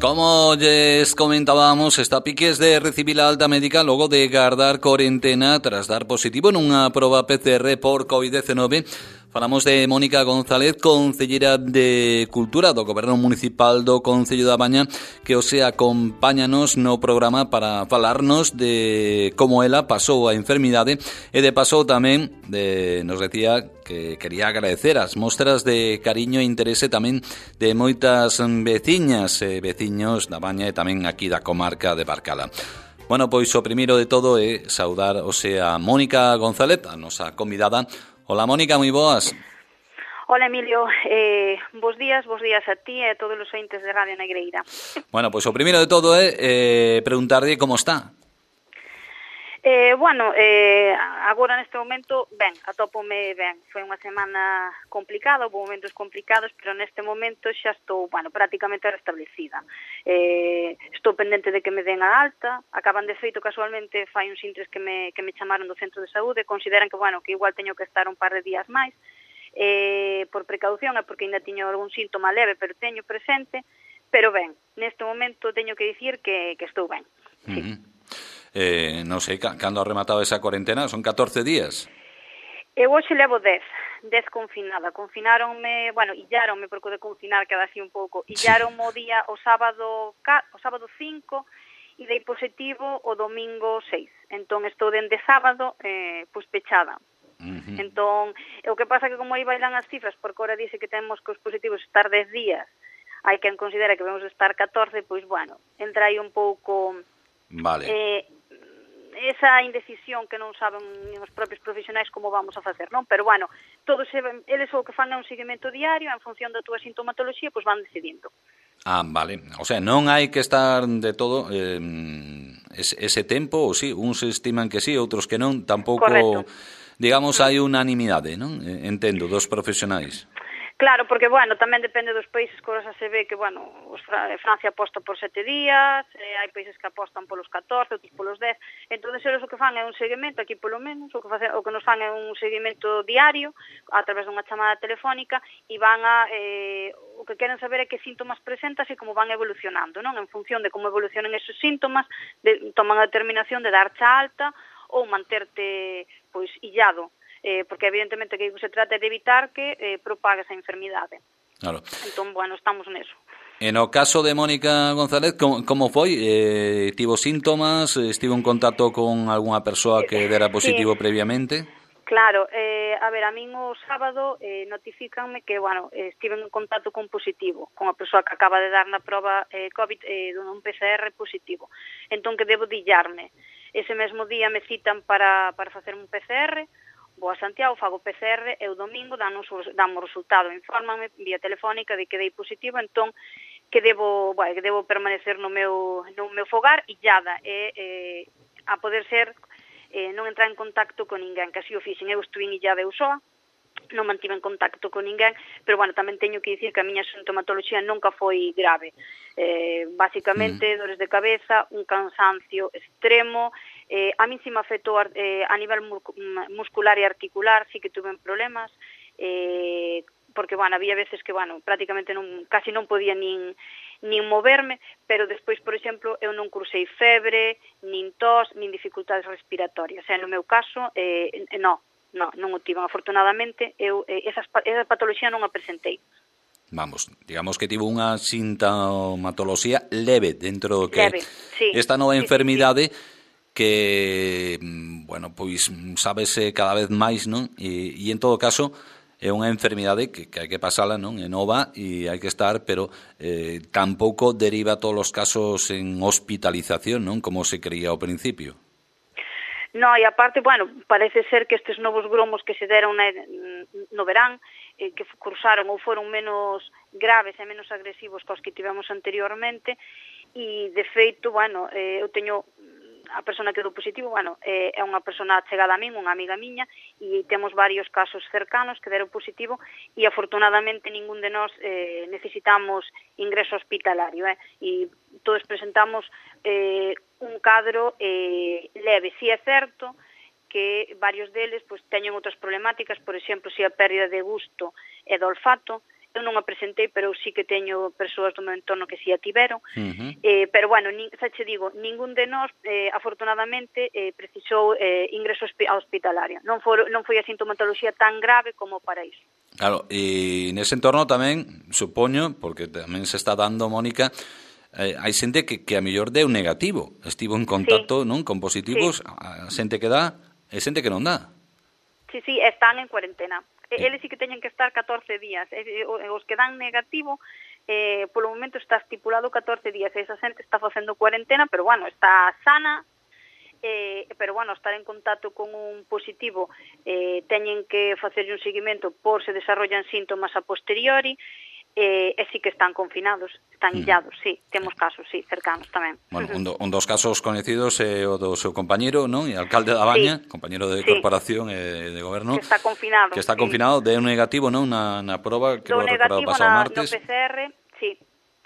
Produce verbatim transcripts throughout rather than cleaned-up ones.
Como lles comentábamos, está a piques de recibir a alta médica logo de gardar corentena tras dar positivo nunha proba P C R por covid diecinueve. Falamos de Mónica González, concellera de Cultura do Goberno Municipal do Concello da Baña, que o sea acompáñanos no programa para falarnos de como ela pasou a enfermidade e de paso tamén de, nos decía que quería agradecer as mostras de cariño e interese tamén de moitas veciñas e veciños da Baña e tamén aquí da comarca de Barcala. Bueno, pois o primeiro de todo é saudar o sea Mónica González, a nosa convidada. Hola Mónica, moi boas. Hola Emilio, eh, bos días, bos días a ti e a todos os ointes de Radio Negreira. Bueno, pois o primeiro de todo é eh, preguntarlle como está. Eh, bueno, eh, agora neste momento, ben, atópome ben. Foi unha semana complicada, houve momentos complicados, pero neste momento xa estou, bueno, prácticamente restablecida. Eh, estou pendente de que me den a alta, acaban de feito casualmente, fai uns intres que me, que me chamaron do centro de saúde, consideran que, bueno, que igual teño que estar un par de días máis, eh, por precaución, é porque ainda tiño algún síntoma leve, pero teño presente, pero ben, neste momento teño que dicir que, que estou ben. Sí. Uh-huh. Eh, non sei, cando ha rematado esa cuarentena, son catorce días? Eu hoxe levo dez, dez confinada. Confináronme, bueno, illaronme, porque de confinar queda así un pouco, illaronme o día, o sábado, o sábado cinco, e dei positivo o domingo seis. Entón, estou dende sábado, eh, pois pechada. Uh-huh. Entón, o que pasa que como aí bailan as cifras, porque ahora dice que temos que os positivos estar dez días, hai quen considera que vamos estar catorce, pois, bueno, entra aí un pouco... Vale. Eh, esa indecisión que non saben os propios profesionais como vamos a facer, non? Pero, bueno, todos eles o que fan é un seguimento diario, en función da túa sintomatoloxía, pois van decidindo. Ah, vale. O sea, non hai que estar de todo eh, ese, ese tempo, ou sí, uns estiman que sí, outros que non, tampouco, correcto. Digamos, hai unanimidade, non? Entendo, dos profesionais. Claro, porque, bueno, tamén depende dos países, que ahora se ve que, bueno, os Francia aposta por sete días, eh, hai países que apostan polos catorce, outros polos dez, entón, eles o que fan é un seguimento, aquí polo menos, o que, face, o que nos fan é un seguimento diario, a través dunha chamada telefónica, e van a, eh, o que queren saber é que síntomas presentas e como van evolucionando, non? En función de como evolucionen esos síntomas, de, toman a determinación de darche alta ou manterte, pois, illado. Eh, porque evidentemente que se trata de evitar que eh, propague esa enfermidade. Claro. Entón, bueno, estamos neso. En o caso de Mónica González, como, como foi? Eh, tivo síntomas? Estivo en contacto con algunha persoa que dera positivo sí. previamente? Claro, eh, a ver, a min o sábado eh, notifícanme que, bueno, eh, estive en contacto con positivo, con a persoa que acaba de dar na proba eh, COVID eh, dun P C R positivo. Entón, que debo dillarme. Ese mesmo día me citan para, para facer un P C R, vou a Santiago, fago P C R e o domingo damos o resultado, infórmame vía telefónica de que dei positivo, entón que debo, bueno, que debo permanecer no meu no meu fogar illada e eh, a poder ser eh, non entrar en contacto con ninguén, que así o fixen, eu estuve illada eu soa, non mantive en contacto con ninguén, pero, bueno, tamén teño que dicir que a miña sintomatoloxía nunca foi grave. Eh, basicamente, mm. dores de cabeza, un cansancio extremo, eh, a min si me afectou eh, a nivel muscular e articular, sí que tuve problemas, eh, porque, bueno, había veces que, bueno, prácticamente non, casi non podía nin, nin moverme, pero despois, por exemplo, eu non cursei febre, nin tos, nin dificultades respiratorias. E no meu caso, eh, non. Non, non o tiven, afortunadamente, eu eh, esas, esa patoloxía non a presentei. Vamos, digamos que tivo unha sintomatoloxía leve dentro do que leve, sí. Esta nova sí, enfermidade sí, sí. que, bueno, pois sábese cada vez máis, non? E, e en todo caso é unha enfermidade que, que hai que pasala, non? É nova e hai que estar, pero eh, tampouco deriva todos os casos en hospitalización, non? Como se creía ao principio. No, e aparte, bueno, parece ser que estes novos gromos que se deron na, no verán, eh, que cursaron ou foron menos graves e menos agresivos que os que tivemos anteriormente, e de feito, bueno, eh, eu teño a persona que deu positivo, bueno, eh, é unha persona chegada a min, unha amiga miña, e temos varios casos cercanos que deron positivo, e afortunadamente ningún de nós eh, necesitamos ingreso hospitalario, eh, e todos presentamos eh, un cadro eh, leve. Si é certo que varios deles pues, teñen outras problemáticas, por exemplo, se a pérdida de gusto e do olfato. eu non a presentei, pero sí que teño persoas do meu entorno que si a tiveron. Uh-huh. Eh, pero bueno, nin, xa che digo, ningún de nós, eh, afortunadamente, eh, precisou eh, ingreso hospitalario. Non, for, non foi a sintomatoloxía tan grave como para iso. Claro, e nese entorno tamén, supoño, porque tamén se está dando, Mónica, eh, hai xente que, que a mellor deu negativo, estivo en contacto, sí, non, con positivos, sí, a xente que dá e xente que non dá. Sí, sí, están en cuarentena. Sí. Eles sí que teñen que estar catorce días. Os que dan negativo, eh, polo momento está estipulado catorce días. Esa xente está facendo cuarentena, pero bueno, está sana, eh, pero bueno, estar en contacto con un positivo, eh, teñen que facer un seguimento por se desarrollan síntomas a posteriori, eh, e sí que están confinados, están Mm. illados, sí, temos casos, sí, cercanos tamén. Bueno, un, do, un dos casos coñecidos é o do seu compañeiro, non? E alcalde da Baña, sí, compañeiro de sí, corporación e de goberno, que está confinado, que está sí, confinado, de un negativo, non? Na, na proba, que do lo recordado negativo pasado na, martes. no P C R, sí,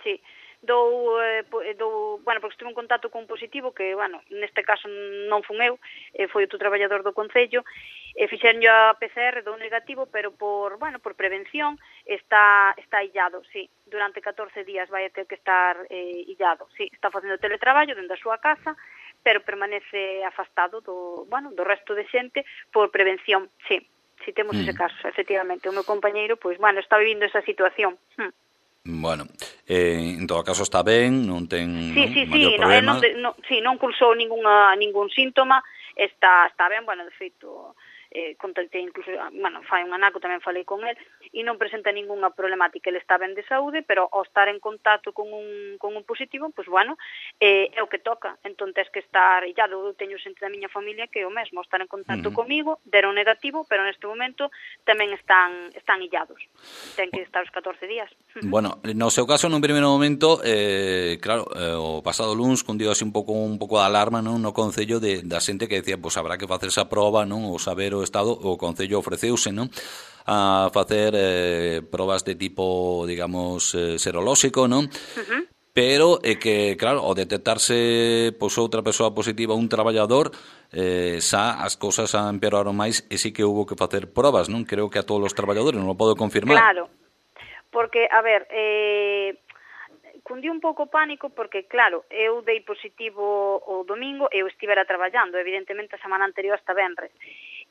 sí. Dou, eh, dou, bueno, porque estive en contacto con un positivo que, bueno, neste caso non fun eu, eh, foi outro traballador do Concello, e fixeron a P C R do negativo, pero por, bueno, por prevención está está illado, sí, durante catorce días vai a ter que estar eh, illado, sí, está facendo teletraballo dentro da súa casa, pero permanece afastado do, bueno, do resto de xente por prevención, sí, sí temos mm. ese caso, efectivamente, o meu compañeiro, pois, bueno, está vivindo esa situación. Hm. Bueno, eh, en todo caso está ben, non ten sí, non, sí, maior sí, problema. No, non, non, sí, non cursou ninguna, ningún síntoma, está, está ben, bueno, de feito, eh, contactei incluso, bueno, fai un anaco tamén falei con el, e non presenta ningunha problemática, ele está ben de saúde, pero ao estar en contacto con un, con un positivo, pois, bueno, eh, é o que toca, entón tens que estar illado. Eu teño xente da miña familia que é o mesmo, estar en contacto uh-huh. comigo, deron negativo, pero neste momento tamén están están illados, ten que estar os catorce días. Bueno, no seu caso, nun primeiro momento, eh, claro, eh, o pasado luns cundiu así un pouco un pouco de alarma, non, no Concello de, da xente que decía, pois, habrá que facer esa proba, non, ou saber o estado, o Concello ofreceuse, non, a facer eh, probas de tipo, digamos, eh, serolóxico, non? Uh-huh. Pero é eh, que, claro, ao detectarse pois outra persoa positiva, un traballador, eh, xa as cousas empeoraron máis e sí que hubo que facer probas, non? Creo que a todos os traballadores, non o podo confirmar. Claro, porque, a ver, eh, cundí un pouco pánico porque, claro, eu dei positivo o domingo e eu estivera traballando, evidentemente a semana anterior hasta venres.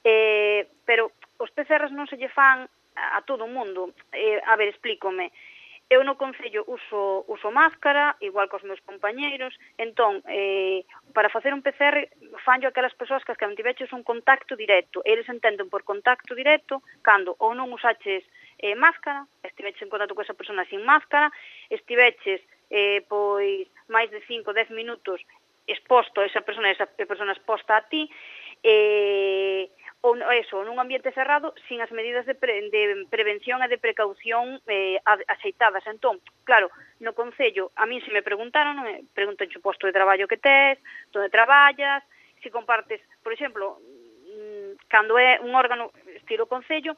Eh, pero os P C Rs non se lle fan a, a todo o mundo. Eh, a ver, explícome. Eu no Concello uso, uso máscara, igual cos meus compañeiros, entón, eh, para facer un P C R, fanlo aquelas persoas que as que non tiveches un contacto directo. Eles entenden por contacto directo cando ou non usaches eh, máscara, estiveches en contacto con esa persona sin máscara, estiveches eh, pois máis de cinco a dez minutos exposto a esa persona, esa persona exposta a ti, eh, ou eso, nun ambiente cerrado, sin as medidas de, pre, de prevención e de precaución eh, axeitadas. Entón, claro, no Concello, a mí se me preguntaron, me preguntan o posto de traballo que tes, onde traballas, se compartes, por exemplo, cando é un órgano estilo Concello,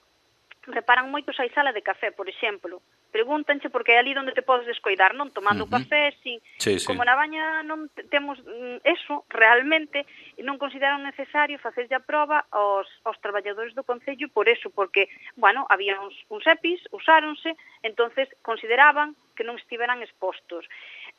reparan moito se hai sala de café, por exemplo. Pregúntanche porque é ali onde te podes descoidar, non tomando uh -huh. café, sin, sí, sí. Como na Baña non temos eso, realmente non consideran necesario facerlle a proba aos, aos traballadores do Concello por eso, porque, bueno, había uns, uns EPIs, usáronse, entonces consideraban que non estiveran expostos.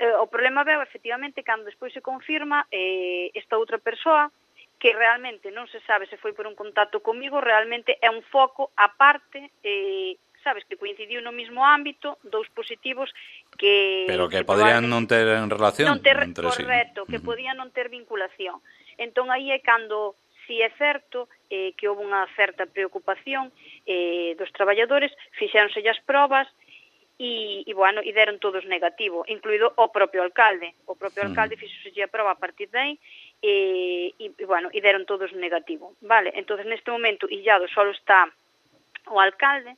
Eh, o problema veo, efectivamente, cando despois se confirma eh, esta outra persoa, que realmente non se sabe se foi por un contacto comigo, realmente é un foco aparte, eh, sabes, que coincidiu no mesmo ámbito, dous positivos que... Pero que, que podían non ter en relación non ter, entre correcto, sí. que uh -huh. podían non ter vinculación. Entón, aí é cando, si é certo, eh, que houve unha certa preocupación eh, dos traballadores, fixéronse as probas, e, e bueno, e deron todos negativo, incluído o propio alcalde. O propio alcalde uh -huh. fixose a proba a partir de aí, e, e, e bueno, e deron todos negativo. Vale, entonces neste momento illado só está o alcalde.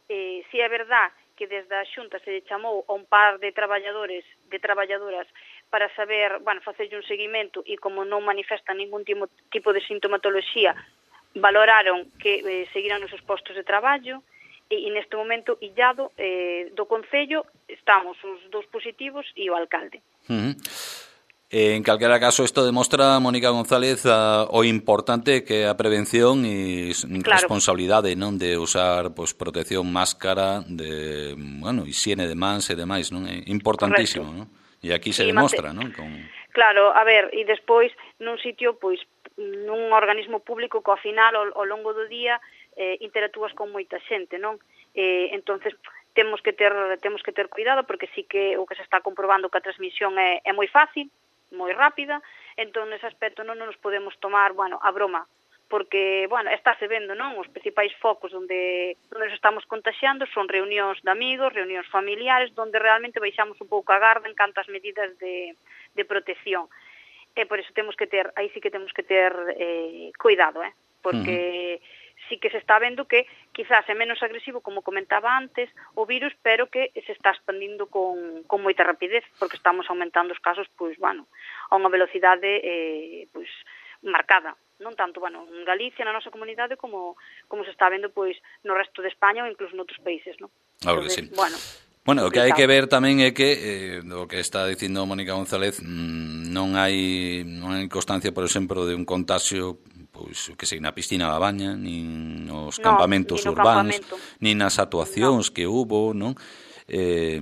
Eh, si é verdad que desde a Xunta se lle chamou a un par de traballadores, de traballadoras para saber, bueno, facerlle un seguimento e como non manifestan ningún tipo, tipo de sintomatoloxía, valoraron que eh, seguiran nos seus postos de traballo e, e neste momento illado eh, do Concello estamos os dous positivos e o alcalde. Uh -huh. En calquera caso, isto demostra, Mónica González, a, o importante que é a prevención e claro. responsabilidade, non, de usar pois protección, máscara, de, bueno, higiene de mans e demais, non? É importantísimo, non? E aquí se sí, demostra, non? Con... Claro, a ver, e despois nun sitio, pois, nun organismo público que ao final, ao, ao longo do día, eh, interactúas con moita xente, non? Eh, entonces temos que ter temos que ter cuidado porque sí que o que se está comprobando que a transmisión é, é moi fácil, moi rápida, entón nese aspecto non nos podemos tomar, bueno, a broma, porque, bueno, estáse vendo, non? Os principais focos onde, onde nos estamos contaxiando son reunións de amigos, reunións familiares, onde realmente baixamos un pouco a garda en canto ás medidas de, de protección. E por iso temos que ter, aí sí que temos que ter eh, cuidado, eh? Porque... Uh-huh. Sí que se está vendo que quizás é menos agresivo, como comentaba antes, o virus, pero que se está expandindo con, con moita rapidez, porque estamos aumentando os casos, pois, bueno, a unha velocidade, eh, pois, marcada. Non tanto, bueno, en Galicia, na nosa comunidade, como, como se está vendo, pois, no resto de España ou incluso noutros países, non? Claro que sí. Bueno, Bueno, o que hai que ver tamén é que, eh, o que está dicindo Mónica González, mmm, non hai non hai constancia, por exemplo, de un contagio, pois, que sei, na piscina da baña, nin nos no, campamentos no urbanos, campamento. Nin nas actuacións no. que hubo, non? Eh,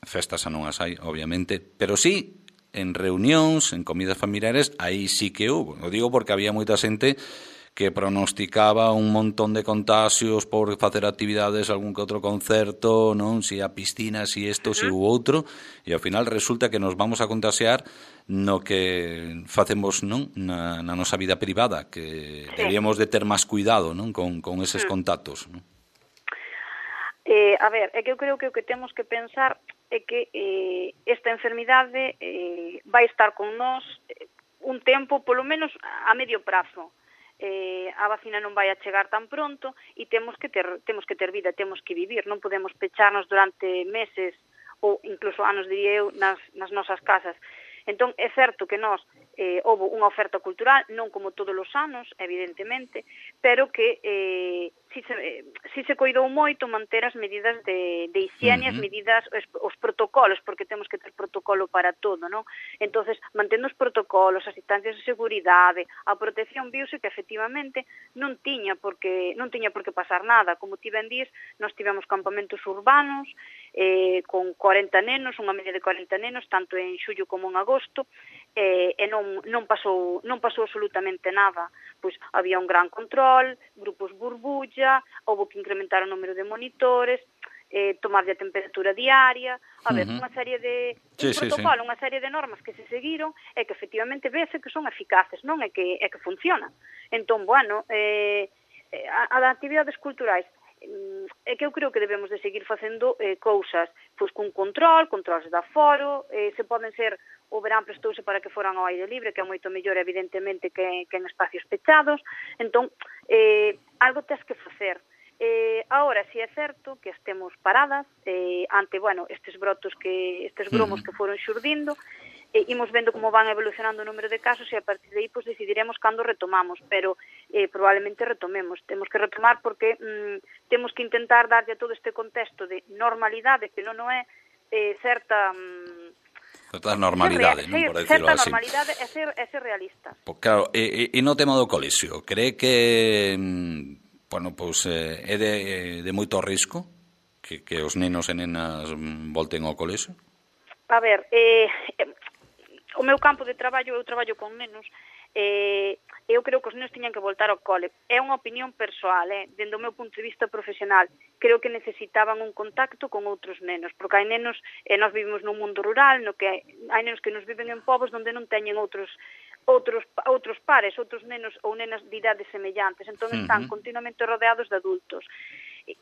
festas a non as hai, obviamente, pero sí, en reunións, en comidas familiares, aí sí que hubo. O digo porque había moita xente que pronosticaba un montón de contagios por facer actividades, algún que outro concerto, non? Si a piscina, si isto, si o outro, e ao final resulta que nos vamos a contagiar no que facemos, non? Na, na nosa vida privada, que sí. Deberíamos de ter máis cuidado, non? Con, con eses contactos, non? Eh, a ver, é que eu creo que o que temos que pensar é que eh, esta enfermidade eh, vai estar con nós un tempo, polo menos a medio prazo. Eh, a vacina non vai a chegar tan pronto e temos que ter temos que ter vida, temos que vivir, non podemos pecharnos durante meses ou incluso anos, diría eu, nas, nas nosas casas. Entón, é certo que nós eh, houve unha oferta cultural, non como todos os anos, evidentemente, pero que eh, si, se, eh, si se coidou moito manter as medidas de, de higiene, uh-huh. as medidas, os, os protocolos, porque temos que ter protocolo para todo, non? Entonces, mantendo os protocolos, as distancias de seguridade, a protección viuse que efectivamente non tiña porque non tiña por que pasar nada. Como ti ben dís, nós tivemos campamentos urbanos, eh, con cuarenta nenos, unha media de cuarenta nenos, tanto en xullo como en agosto, eh, e non, non, pasou, non pasou absolutamente nada. Pois había un gran control, grupos burbulla, houve que incrementar o número de monitores, eh, tomarlle a temperatura diaria, a ver, uh-huh. unha serie de sí, un protocolo, sí, sí. unha serie de normas que se seguiron e que efectivamente vese que son eficaces, non? É que, é que funcionan. Entón, bueno, eh, a, a actividades culturais, é que eu creo que debemos de seguir facendo eh, cousas pois con control, controles de aforo, eh, se poden ser, o verán prestouse para que foran ao aire libre, que é moito mellor evidentemente que, que en espacios pechados, entón eh, algo tes que facer. Eh, ahora, si é certo que estemos paradas eh, ante, bueno, estes brotos que, estes gromos que foron xurdindo, eh, imos vendo como van evolucionando o número de casos e a partir de aí pues, decidiremos cando retomamos, pero eh, probablemente retomemos. Temos que retomar porque mm, temos que intentar darlle a todo este contexto de normalidade, que non é eh, certa... Mm, certa normalidade, non, por decirlo así. Certa normalidade é ser, é ser realistas. Pues claro, e, e no tema do colexio, cree que... Mm, bueno, pois eh, é de, de moito risco que, que os nenos e nenas volten ao colexio? A ver, eh, o meu campo de traballo, eu traballo con nenos, eh, eu creo que os nenos tiñan que voltar ao cole. É unha opinión persoal, eh, dende o meu punto de vista profesional. Creo que necesitaban un contacto con outros nenos, porque hai nenos, eh, nós vivimos nun mundo rural, no que hai, hai nenos que nos viven en povos onde non teñen outros outros outros pares, outros nenos ou nenas de idades semellantes, entón están uh-huh. continuamente rodeados de adultos.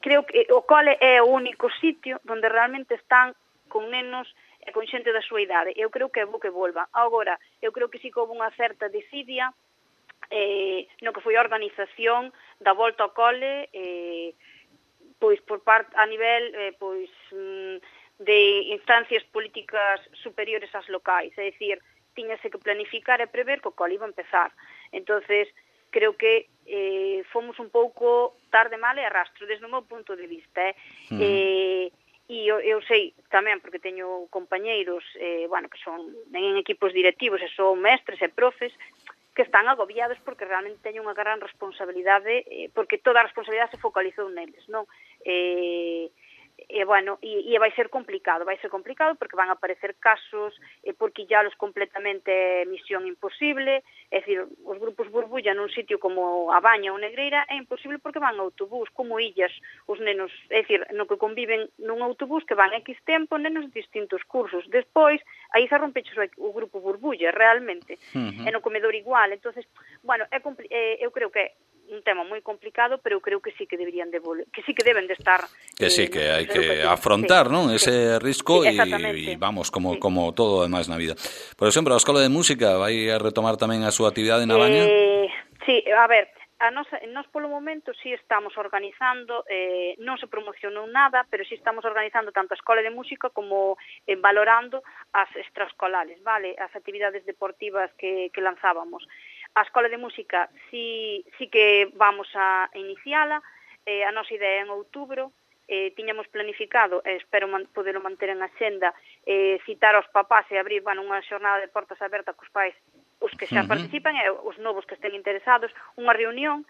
Creo que o cole é o único sitio onde realmente están con nenos e con xente da súa idade. Eu creo que é bo que volva. Agora, eu creo que sí que houve unha certa desidia eh, no que foi a organización da volta ao cole eh, pois por parte a nivel eh, pois de instancias políticas superiores ás locais, é dicir, tiñase que planificar e prever que o cole iba a empezar. Entonces, creo que eh, fomos un pouco tarde, mal e arrastro, desde o meu punto de vista. Eh? Mm. Eh, E eu, eu sei tamén, porque teño compañeiros, eh, bueno, que son en equipos directivos, e son mestres e profes, que están agobiados porque realmente teñen unha gran responsabilidade, eh, porque toda a responsabilidade se focalizou neles, non? Eh, e, bueno, e, e vai ser complicado, vai ser complicado porque van a aparecer casos, e por quillalos completamente é misión imposible, é dicir, os grupos burbulla nun sitio como a Baña ou Negreira é imposible porque van a autobús, como illas, os nenos, é dicir, no que conviven nun autobús que van X tempo, nenos de distintos cursos, despois, aí se rompeches o grupo burbulla, realmente, uh-huh. E no comedor igual, entonces, bueno, é compli- eh, eu creo que é un tema moi complicado, pero eu creo que sí que deberían de vol- que sí que deben de estar que sí, eh, que hai que afrontar, sí, non? Ese sí. risco e sí, vamos, como sí. como todo demais na vida. Por exemplo, a Escola de Música vai a retomar tamén a súa actividade na Baña? Eh, sí, a ver, a nos, nos polo momento sí estamos organizando, eh, non se promocionou nada, pero sí estamos organizando tanto a Escola de Música como eh, valorando as extraescolares, vale? As actividades deportivas que, que lanzábamos. A Escola de Música sí, sí que vamos a iniciala, eh, a nosa idea é en outubro, eh, tiñamos planificado, eh, espero man, poderlo manter en axenda, eh, citar aos papás e abrir, bueno, unha xornada de portas abertas cos pais, os que xa uh-huh. participan e os novos que estén interesados, unha reunión,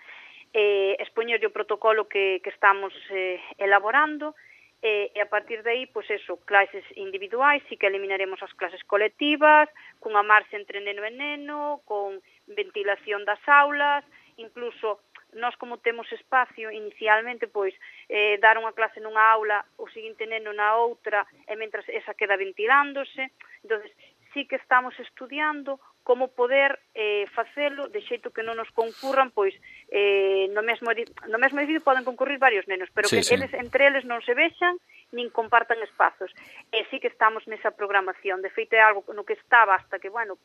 eh, expoñerlle o protocolo que, que estamos eh, elaborando, e, e a partir de aí, pois eso, clases individuais, sí que eliminaremos as clases colectivas, cunha marxa entre neno e neno, con ventilación das aulas, incluso nós como temos espacio inicialmente, pois eh, dar unha clase nunha aula, o seguinte neno na outra, e mentras esa queda ventilándose. Entonces, sí que estamos estudiando como poder eh, facelo de xeito que non nos concurran, pois eh, no mesmo no mesmo edificio poden concurrir varios nenos, pero sí, que sí. eles entre eles non se vexan nin compartan espazos. E sí que estamos nesa programación. De feito, é algo no que estaba hasta que, bueno,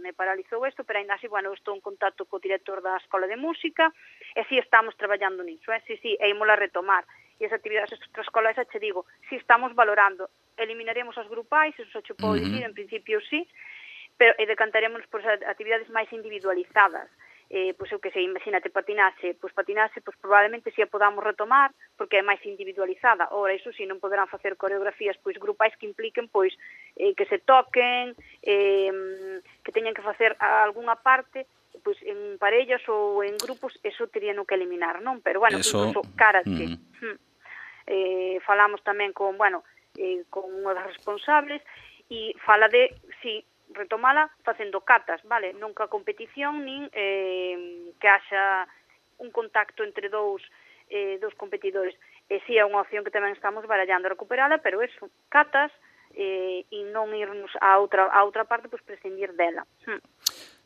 me paralizou isto, pero ainda así, bueno, estou en contacto co director da Escola de Música, e sí estamos traballando niso, eh? Sí, sí, e ímola retomar. E as actividades extraescolares, xa che digo, sí estamos valorando. Eliminaremos as grupais, eso xa che podo uh-huh. dicir, en principio sí, pero e decantaremos por actividades máis individualizadas. Eh, pois eu que sei, imagínate patinaxe, pois patinaxe, pois probablemente si a podamos retomar, porque é máis individualizada. Ora, iso si, non poderán facer coreografías pois grupais que impliquen pois eh, que se toquen, eh, que teñan que facer algunha parte pois en parellas ou en grupos, eso terían que eliminar, non? Pero bueno, eso... incluso karate. Mm. Eh, falamos tamén con, bueno, eh, con unha das responsables e fala de, si, retomala facendo catas, vale? Nunca competición, nin eh, que haxa un contacto entre dous, eh, dous competidores. E si é unha opción que tamén estamos barallando a recuperala, pero eso, catas, eh, e non irnos a outra, a outra parte, pois prescindir dela. Hm.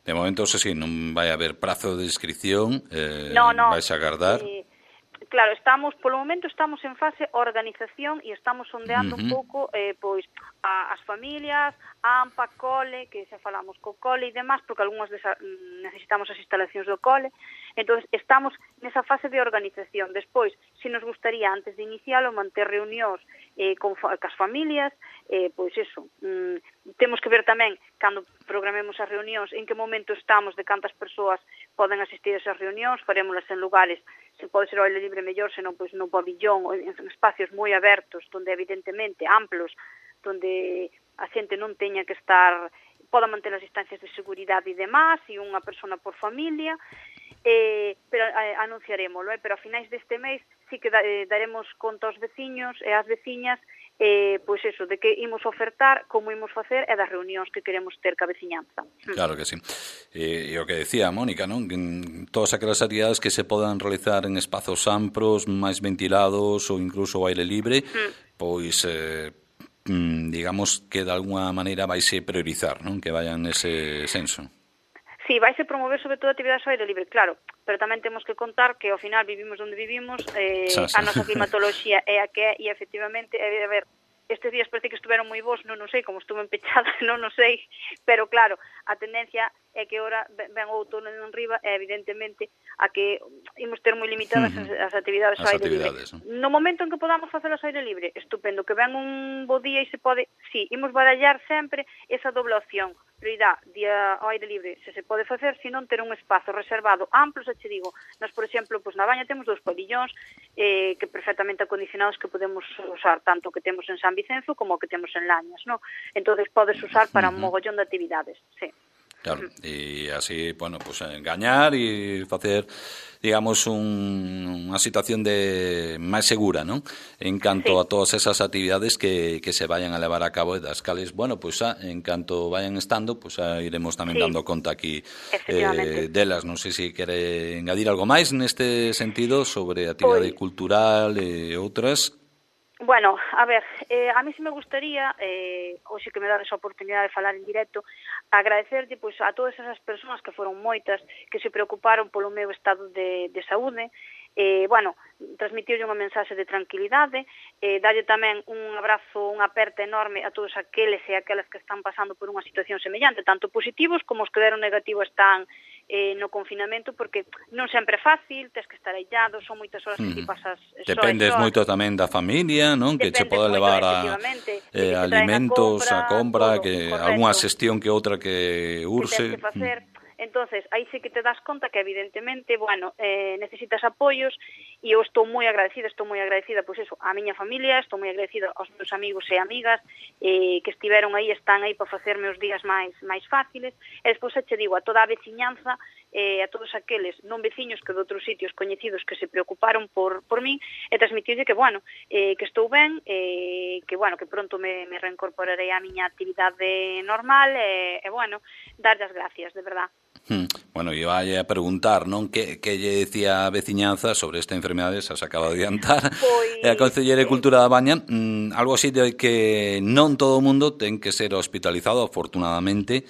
De momento, se si, non vai haber prazo de inscripción, eh, no, no, vais a agardar... Eh, Claro, estamos, polo momento estamos en fase organización e estamos sondeando uh-huh. un pouco eh, pois a, as familias, a AMPA, cole, que xa falamos co cole e demás, porque algunhas desa, necesitamos as instalacións do cole. Entón, estamos nesa fase de organización. Despois, se nos gustaría, antes de inicialo, manter reunións eh, con as familias, eh, pois eso, mm, temos que ver tamén, cando programemos as reunións, en que momento estamos, de cantas persoas poden asistir a esas reunións, farémolas en lugares, se pode ser ao aire libre mellor, senón pois no pabillón, ou en espacios moi abertos, donde evidentemente amplos, donde a xente non teña que estar, poda manter as distancias de seguridade e demás, e unha persona por familia, eh, pero eh, anunciarémoslo, eh, pero a finais deste mês sí que da, eh, daremos conta aos veciños e ás veciñas, eh, pois eso, de que imos ofertar, como imos facer e das reunións que queremos ter ca veciñanza. Claro que sí. E, e o que decía Mónica, non? Que todas aquelas actividades que se podan realizar en espazos amplos, máis ventilados ou incluso ao aire libre, mm. pois, eh, digamos que de alguna maneira vaise priorizar, non? Que vayan nese senso. Sí, vaise promover sobre todo actividades ao aire libre, claro, pero tamén temos que contar que ao final vivimos onde vivimos, eh, xa, xa. A nosa climatoloxía é a que é, e efectivamente, é, a ver, estes días parece que estiveron moi bons, non o sei, como estuve empechada, non o sei, pero claro, a tendencia é que ora ven o outono en riba e evidentemente a que imos ter moi limitadas uh -huh. as, as actividades ao aire libre. ¿No? no momento en que podamos facelas ao aire libre, estupendo, que ven un bo día e se pode, sí, imos barallar sempre esa doble opción, prioridade día ao aire libre, se se pode facer, se non ter un espazo reservado amplo, se che digo, nós, por exemplo, pues, na Baña temos dous pabillóns eh, que perfectamente acondicionados que podemos usar, tanto que temos en San Vicenzo como que temos en Lañas, ¿no? Entonces podes usar para un mogollón de actividades, sí. Claro, e así, bueno, pues engañar e facer, digamos, un, unha situación de máis segura, non? En canto sí. a todas esas actividades que, que se vayan a levar a cabo e das cales, bueno, pues a, en canto vayan estando, pues a, iremos tamén sí. dando conta aquí eh, delas. Non sei se quere engadir algo máis neste sentido sobre actividade Oy. cultural e outras. Bueno, a ver, eh, a mí sí me gustaría, eh, hoxe que me dades a oportunidade de falar en directo, agradecerlle pois, a todas esas persoas que foron moitas, que se preocuparon polo meu estado de, de saúde, eh, bueno, transmitirlle unha mensaxe de tranquilidade, eh, darlle tamén un abrazo, unha aperta enorme a todos aqueles e aquelas que están pasando por unha situación semellante, tanto positivos como os que deron negativo están eh, no confinamento, porque non sempre é fácil, tens que estar aillado, son moitas horas que ti pasas só. Dependes moito tamén da familia, non? Que che pode levar a eh, alimentos, a compra, a compra que algunha xestión que outra que urse. Que tens que facer. Entonces, aí sí que te das conta que evidentemente, bueno, eh, necesitas apoios e eu estou moi agradecida, estou moi agradecida, pois eso, á miña familia, estou moi agradecida aos meus amigos e amigas eh, que estiveron aí, están aí para facerme os días máis máis fáciles, e despois che digo a toda a veciñanza, eh, a todos aqueles non veciños que de outros sitios coñecidos que se preocuparon por, por min, e transmitirlle que, bueno, eh, que estou ben, eh, que, bueno, que pronto me, me reincorporarei á miña actividade normal, e, eh, bueno, darlle as gracias, de verdad. Hmm. Bueno, iba a preguntar, non? Que, que lle decía a veciñanza sobre esta enfermedade, xa se acaba de adiantar, pois, e a Concelleira de Cultura da Baña, mmm, algo así de que non todo o mundo ten que ser hospitalizado, afortunadamente,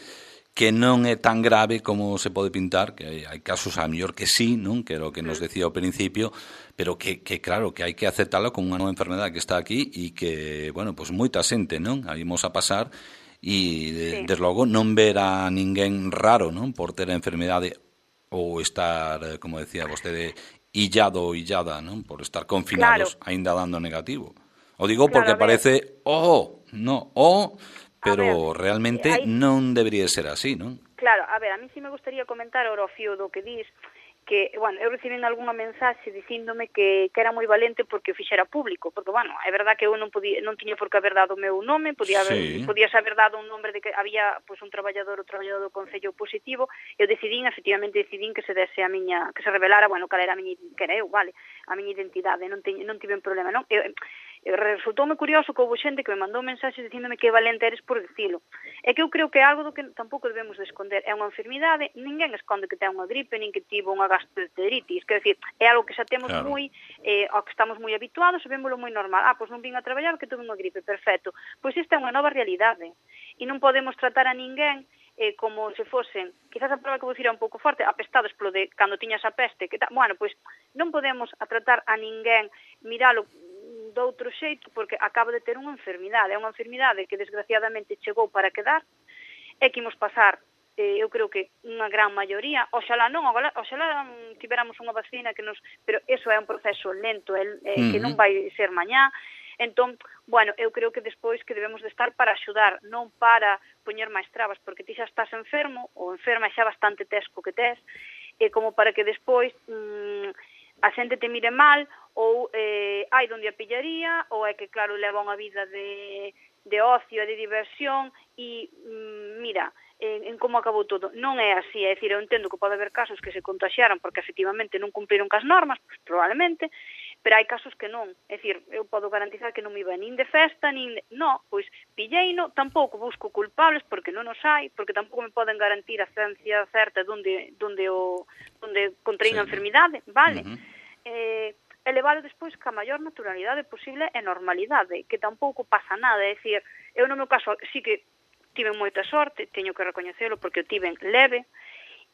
que non é tan grave como se pode pintar, que hai, hai casos a mellor que sí, non? Que é o que nos decía ao principio, pero que, que claro, que hai que aceptalo como unha nova enfermedade que está aquí e que, bueno, pues moita xente, non? Aí imos a pasar e, de, sí. desde logo, non ver a ninguén raro, non? Por ter a enfermedade ou estar, como decía vostede, illado ou illada, non? Por estar confinados, claro. Ainda dando negativo. O digo claro, porque parece, oh, no, oh, pero ver, realmente aí non debería ser así, non? Claro, a ver, a mí sí me gustaría comentar ora o fío do que dis, que, bueno, eu recibín algunha mensaxe dicíndome que, que era moi valente porque o fixera público, porque, bueno, é verdad que eu non podía, non tiña por que haber dado o meu nome, podía haber, sí. podías haber dado un nombre de que había pois, un traballador ou traballador do Concello positivo, eu decidín, efectivamente decidín que se dese a miña, que se revelara, bueno, cal era a miña, que era eu, vale, a miña identidade, non, te, non tive un problema, non? Eu, resultoume curioso que houve xente que me mandou mensaxes dicíndome que valente eres por dicilo. É que eu creo que é algo do que tampouco debemos de esconder. É unha enfermidade, ninguén esconde que ten unha gripe, nin que tivo unha gastroenteritis, quer decir, é algo que xa temos claro. moi, eh, ao que estamos moi habituados, e vémolo moi normal. Ah, pois non vin a traballar que tuve unha gripe, perfecto. Pois esta é unha nova realidade. E non podemos tratar a ninguén eh, como se fosen, quizás a prova que vou dicir é un pouco forte, apestados polo de cando tiñas a peste, que ta... bueno, pois non podemos a tratar a ninguén, miralo de outro xeito, porque acaba de ter unha enfermidade, é unha enfermidade que desgraciadamente chegou para quedar, e que imos pasar, eh, eu creo que unha gran maioría, oxalá non, oxalá tiveramos unha vacina que nos, pero eso é un proceso lento, é, é, uh-huh. que non vai ser mañá. Entón, bueno, eu creo que despois que debemos de estar para axudar, non para poñer máis trabas, porque ti xa estás enfermo, ou enferma xa bastante tesco que tes, e como para que despois mmm, a xente te mire mal, ou eh, hai donde a pillaría, ou é que, claro, leva unha vida de, de ocio e de diversión, e mm, mira, en, en como acabou todo. Non é así, é dicir, eu entendo que pode haber casos que se contaxiaran porque efectivamente non cumpriron cas normas, pues, probablemente, pero hai casos que non. É dicir, eu podo garantizar que non me iba nin de festa, nin de... No, pois pilleino, tampouco busco culpables porque non os hai, porque tampouco me poden garantir a ciencia certa donde, donde, o, donde contraín sí. a enfermidade, vale? Uh-huh. Eh, elevalo despois ca maior naturalidade posible e normalidade, que tampouco pasa nada, é dicir, eu no meu caso sí que tive moita sorte, teño que recoñecelo porque o tiven leve,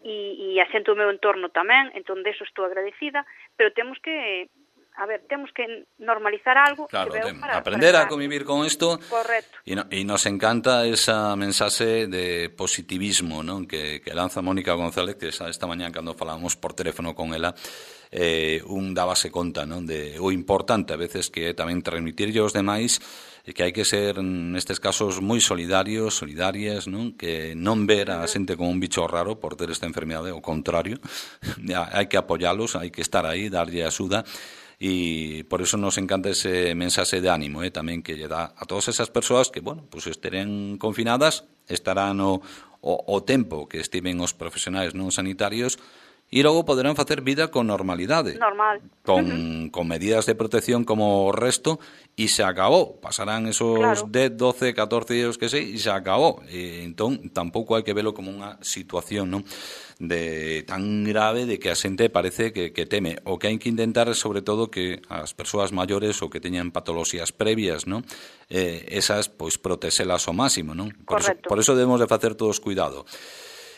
e, e a xente do meu entorno tamén, entón deso estou agradecida, pero temos que a ver, temos que normalizar algo, claro, que veo para, aprender para a convivir con isto. Correcto. E, no, e nos encanta esa mensaxe de positivismo, non? Que, que lanza Mónica González, que esta, esta mañá cando falábamos por teléfono con ela, eh, un dábase conta, non? De o importante a veces que é tamén transmitirlle aos demais e que hai que ser nestes casos moi solidarios, solidarias, non? Que non ver a xente como un bicho raro por ter esta enfermidade, ao contrario, hai que apoialos, hai que estar aí, darlle axuda. E por eso nos encanta ese mensaxe de ánimo, eh, tamén que lle dá a todas esas persoas que, bueno, pues esteren confinadas, estarán o, o, o tempo que estiven os profesionais non sanitarios e logo poderán facer vida con normalidade. Normal. Con, uh-huh. con medidas de protección como o resto e se acabou. Pasarán esos claro. dez, doce, catorce días que sei e se acabou. E, entón, tampouco hai que velo como unha situación, non? De tan grave de que a xente parece que, que teme. O que hai que intentar é, sobre todo, que as persoas maiores ou que teñan patoloxías previas, non? Eh, esas, pois, protexelas ao máximo, non? Por eso, por eso debemos de facer todos cuidado.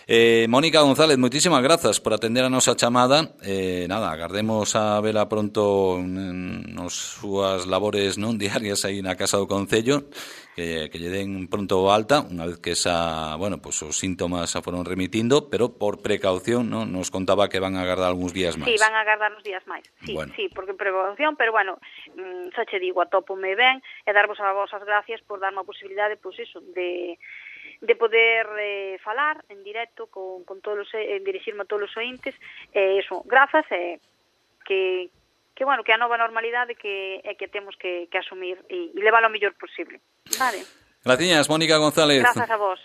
Eh, Mónica González, moitísimas grazas por atender a nosa chamada. Eh, nada, agardemos a vela pronto nos súas labores non diarias aí na Casa do Concello, que, que lle den pronto alta, unha vez que esa, bueno, pues os síntomas se foron remitindo, pero por precaución, non? Nos contaba que van a agardar algúns días máis. Sí, van a agardar uns días máis. Sí, bueno. sí, porque precaución, pero bueno, mmm, xa che digo, atópome ben e darvos a vos as gracias por darme a posibilidade, pois pues iso, de de poder eh, falar en directo con, con todos os, eh, dirixirme a todos os ointes, e eh, eso, grazas, e eh, que, que, bueno, que a nova normalidade que é que temos que, que asumir e, e levar o mellor posible. Vale. Gracias, Mónica González. Grazas a vos.